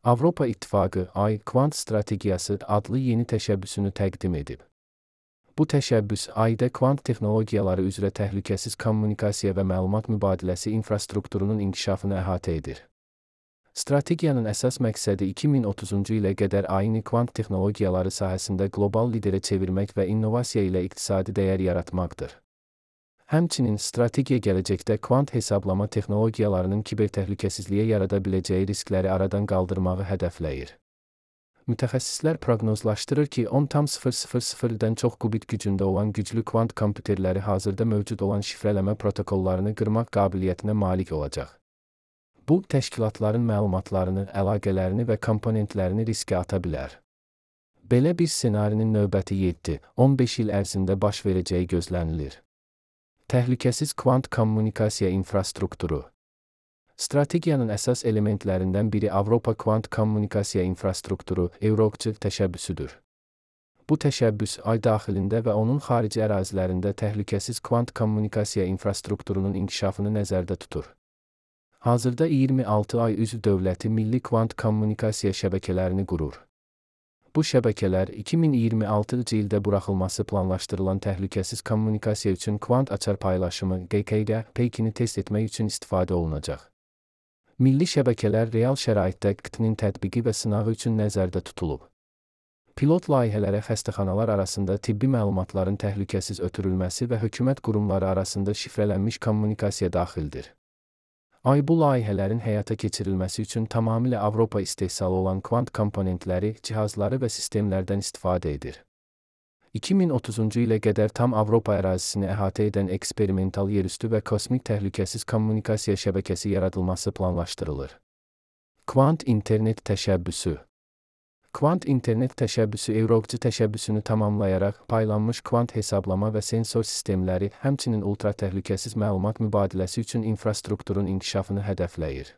Avropa İttifaqı Ay Kvant Strategiyası adlı yeni təşəbbüsünü təqdim edib. Bu təşəbbüs Ayda kvant texnologiyaları üzrə təhlükəsiz kommunikasiya və məlumat mübadiləsi infrastrukturunun inkişafını əhatə edir. Strategiyanın əsas məqsədi 2030-cu ilə qədər Ayını kvant texnologiyaları sahəsində qlobal liderə çevirmək və innovasiya ilə iqtisadi dəyər yaratmaqdır. Həmçinin strategiya gələcəkdə kvant hesablama texnologiyalarının kibertəhlükəsizliyə yarada biləcəyi riskləri aradan qaldırmağı hədəfləyir. Mütəxəssislər proqnozlaşdırır ki, 10,000-dən çox qubit gücündə olan güclü kvant kompüterləri hazırda mövcud olan şifrələmə protokollarını qırmaq qabiliyyətinə malik olacaq. Bu, təşkilatların məlumatlarını, əlaqələrini və komponentlərini riskə ata bilər. Belə bir ssenarinin növbəti 7-15 il ərzində baş verəcəyi gözlənilir. Təhlükəsiz kvant kommunikasiya infrastrukturu. Strategiyanın əsas elementlərindən biri Avropa Kvant Kommunikasiya İnfrastrukturu (EUROKCI) təşəbbüsüdür. Bu təşəbbüs Ay daxilində və onun xarici ərazilərində təhlükəsiz kvant kommunikasiya infrastrukturunun inkişafını nəzərdə tutur. Hazırda 26 Ay üzv dövləti milli kvant kommunikasiya şəbəkələrini qurur. Bu şəbəkələr 2026-cı ildə buraxılması planlaşdırılan təhlükəsiz kommunikasiya üçün kvant açar paylaşımı (GKD) peykini test etmək üçün istifadə olunacaq. Milli şəbəkələr real şəraitdə QT'nin tətbiqi və sınağı üçün nəzərdə tutulub. Pilot layihələrə xəstəxanalar arasında tibbi məlumatların təhlükəsiz ötürülməsi və hökumət qurumları arasında şifrələnmiş kommunikasiya daxildir. Ay bu layihələrin həyata keçirilməsi üçün tamamilə Avropa istehsalı olan kvant komponentləri, cihazları və sistemlərdən istifadə edir. 2030-cu ilə qədər tam Avropa ərazisini əhatə edən eksperimental yerüstü və kosmik təhlükəsiz kommunikasiya şəbəkəsi yaradılması planlaşdırılır. Kvant internet təşəbbüsü. Kvant internet təşəbbüsü EUROKCI təşəbbüsünü tamamlayaraq paylanmış kvant hesablama və sensor sistemləri, həmçinin ultra təhlükəsiz məlumat mübadiləsi üçün infrastrukturun inkişafını hədəfləyir.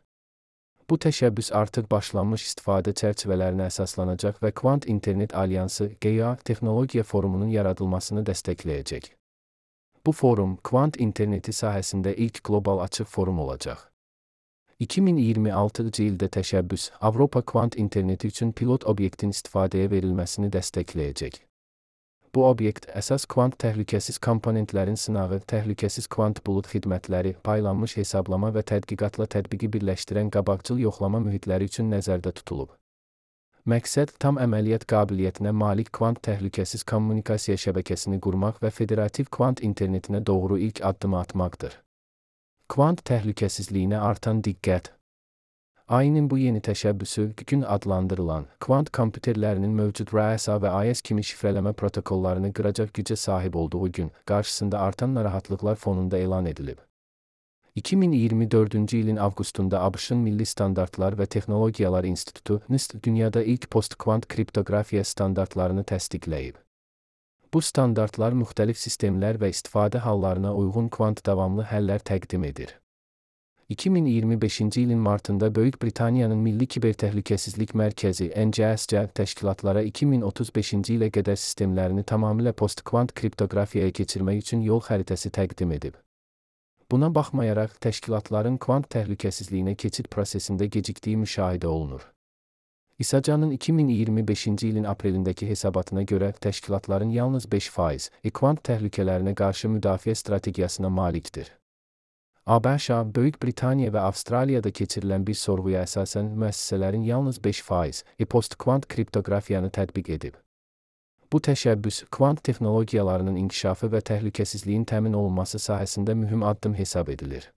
Bu təşəbbüs artıq başlanmış istifadə çərçivələrinə əsaslanacaq və Kvant İnternet Alyansı (GEA) texnologiya forumunun yaradılmasını dəstəkləyəcək. Bu forum, kvant interneti sahəsində ilk qlobal açıq forum olacaq. 2026-cı ildə təşəbbüs, Avropa kvant interneti üçün pilot obyektin istifadəyə verilməsini dəstəkləyəcək. Bu obyekt, əsas kvant təhlükəsiz komponentlərin sınağı, təhlükəsiz kvant bulud xidmətləri, paylanmış hesablama və tədqiqatla tətbiqi birləşdirən qabaqcıl yoxlama mühitləri üçün nəzərdə tutulub. Məqsəd, tam əməliyyat qabiliyyətinə malik kvant təhlükəsiz kommunikasiya şəbəkəsini qurmaq və federativ kvant internetinə doğru ilk addımı atmaqdır. Kvant təhlükəsizliyinə artan diqqət. Ayının bu yeni təşəbbüsü, gün adlandırılan, kvant kompüterlərinin mövcud RSA və AES kimi şifrələmə protokollarını qıracaq gücə sahib olduğu gün, qarşısında artan narahatlıqlar fonunda elan edilib. 2024-cü ilin avqustunda ABŞ-ın Milli Standartlar və Texnologiyalar İnstitutu (NIST) dünyada ilk post-kvant kriptoqrafiya standartlarını təsdiqləyib. Bu standartlar müxtəlif sistemlər və istifadə hallarına uyğun kvant davamlı həllər təqdim edir. 2025-ci ilin martında Böyük Britaniyanın Milli Kibertəhlükəsizlik Mərkəzi (NCSC) təşkilatlara 2035-ci ilə qədər sistemlərini tamamilə post-kvant kriptoqrafiyaya keçirmək üçün yol xəritəsi təqdim edib. Buna baxmayaraq, təşkilatların kvant təhlükəsizliyinə keçid prosesində gecikdiyi müşahidə olunur. İSACA'nın 2025-ci ilin aprelindəki hesabatına görə təşkilatların yalnız 5% kvant təhlükələrinə qarşı müdafiə strategiyasına malikdir. ABŞ, Böyük Britaniya və Avstraliyada keçirilən bir sorğuya əsasən müəssisələrin yalnız 5% post-kvant kriptoqrafiyanı tətbiq edib. Bu təşəbbüs, kvant texnologiyalarının inkişafı və təhlükəsizliyin təmin olunması sahəsində mühüm addım hesab edilir.